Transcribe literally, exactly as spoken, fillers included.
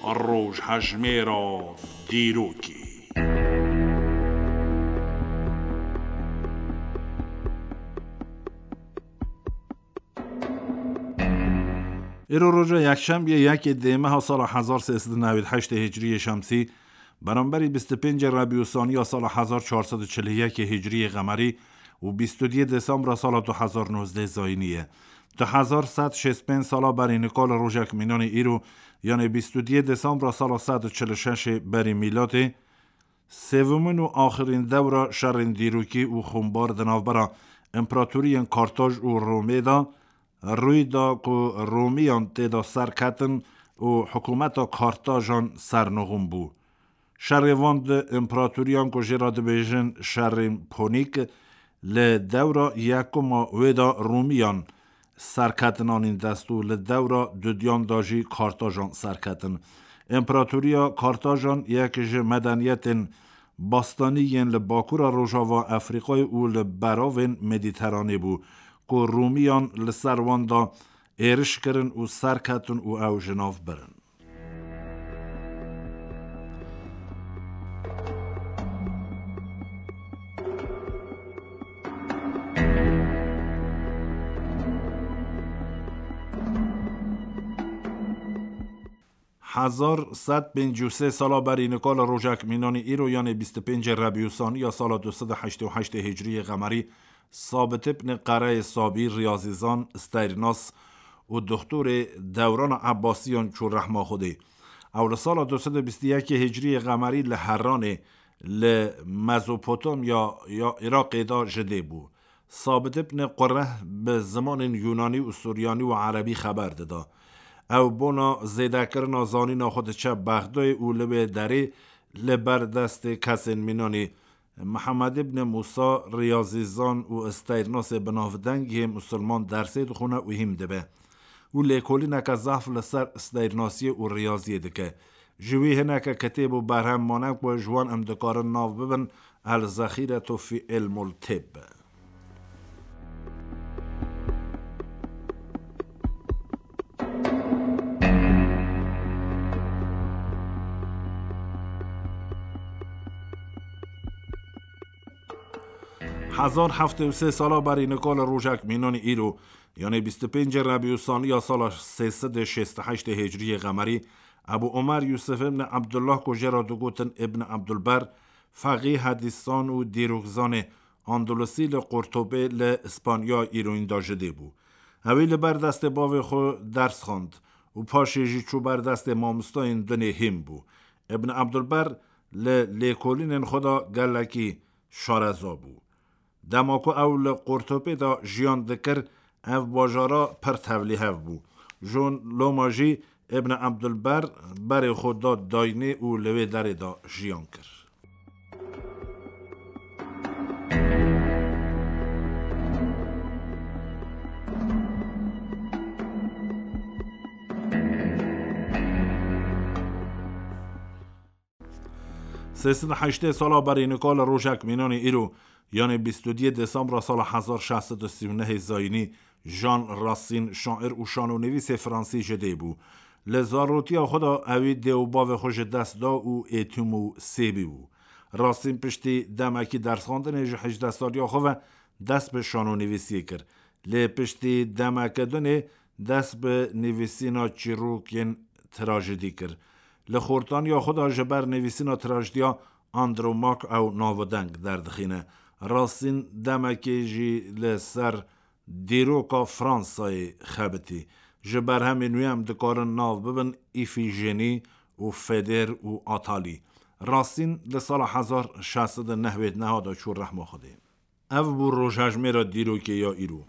Rojhejmêra dîrokê. Îro roja yekşembiye yekê dê meha sala hezar sê sed û newî heştê hicriyê şemsî, beramberî bîst û pêncê Rebî û Saniya sala hezar çar sed û çil û yekê hicriyê qemerî û bîst û duyê Desembra sala du hezar nozdeh zayînî ye. Du hezar sed şêst pênc sala berî nika li rojek mînanî îro, yanê bîst û duyê Desembra sala sed û çil û şeşê berî mîladê, sêvimîn û axirîn dewra şerên dîrokî û xûnbar di navbera împaratoriyên Kartaj û Romê de rûy da ku Romiyan tê de serketin û hikûmeta Kartajan sernixûn bû. Şerê van du împaratoriyan ku jê re dibêjin şerên Ponîk, li dewra yekuma wê de Romiyan serketin anîn dest û li dewra dudiyan de jî Kartajan serketin. Împaratoriya Kartajan yek ji medeniyetên bastanî yên li bakura rojava Efrîqayê û li beravên Medîteranê bû, ku Romiyan li ser wan de êriş kirin û serketin û ew ji nav birin. Hezar sed pêncî û sê sala berî nika li rojek mînanî îro, yanê bîst û pêncê Rebî û Saniya sala du sed û heştê û heştê hicriyê qemerî, Sabit ibn Qereyê Sabî, riyazîzan, stêrnas û doxtorê dewrana Ebbasiyan çû rehma Xwedê. Ew li sala du sed û bîst û yekê hicriyê qemerî li Heranê, li Mezopotamya ya Iraqê de ji dê bû. Sabit ibn Qureh bi zimanên Yunanî û Suryanî û Erebî xeber dida. Ew bona zêdekirina zanîna xwe diçe Bexdayê û li wê derê li ber destê kesên mînanî Mihemed ibn Musa, riyazîzan û stêrnasê binavdeng yê misilman dersê dixwine û hîm dibe û lêkolîneke zehf li ser stêrnasiyê û riyaziyê dike. Ji wî hineke kitêb û berhem mane ku ji wan em dikarin nav bibin El Zexîretu fî Ilmul Tibb. Hezar heftê û sê sala berî nika li rojek mînanî îro, yanê bîst û pêncê Rebî û Saniya sala sê sed û şêst û heştê Hicriyê Qemerî, Ebu Omer Yusuf ibn Abdullah ku jê re digotin Ibn Abdulber, feqî, hedîsan û dîrokzanê Andalusî li Qurtubê li Îspanya îroyîn de ji dê bû. Ewî li ber destê bavê xwe ders xwend û paşê jî çû ber destê mamostayên dinê hîm bû. Ibn Abdulber li lêkolînên xwe de gelekî şareza bû. Dema ku ew li Qurtubê de jiyan dikir, ev bajara pir tevlîhev bû. Ji loma jî Ibn Abdulber berê xwe da dayînê û li wê derê de jiyan kir. Sê sed û heştê sala berî nika li rojek mînanî îro, yanê bîst û duyê Desembra sala hezar şeş sed û sî û nehê zayînî, Jean Racine, şair û şanonivîsê fransî ji dê bû. Li zarotiya xwe de ewî dê û bavê xwe ji dest da û êtîm û sêbî bû. Racine piştî demekî dersxwendinê ji hejdeh saliya xwe ve dest bi şanonivîsiyê kir. Lê piştî demeke dinê dest bi nivîsîna çîrokên trajedî kir. Li xortaniya xwe de ji ber nivîsîna trajediya Andromaque ew navideng derdixîne. Racine demekê jî li ser dîroka Fransayê xebitî. Ji berhemên wî em dikarin nav bibin Îfîjenî û Feder û Atalî. Racine li sala hezar şeş sed û nehwêd neha de çû rehma Xwedê. Ev bû rojhejmêra dîrokê ya îro.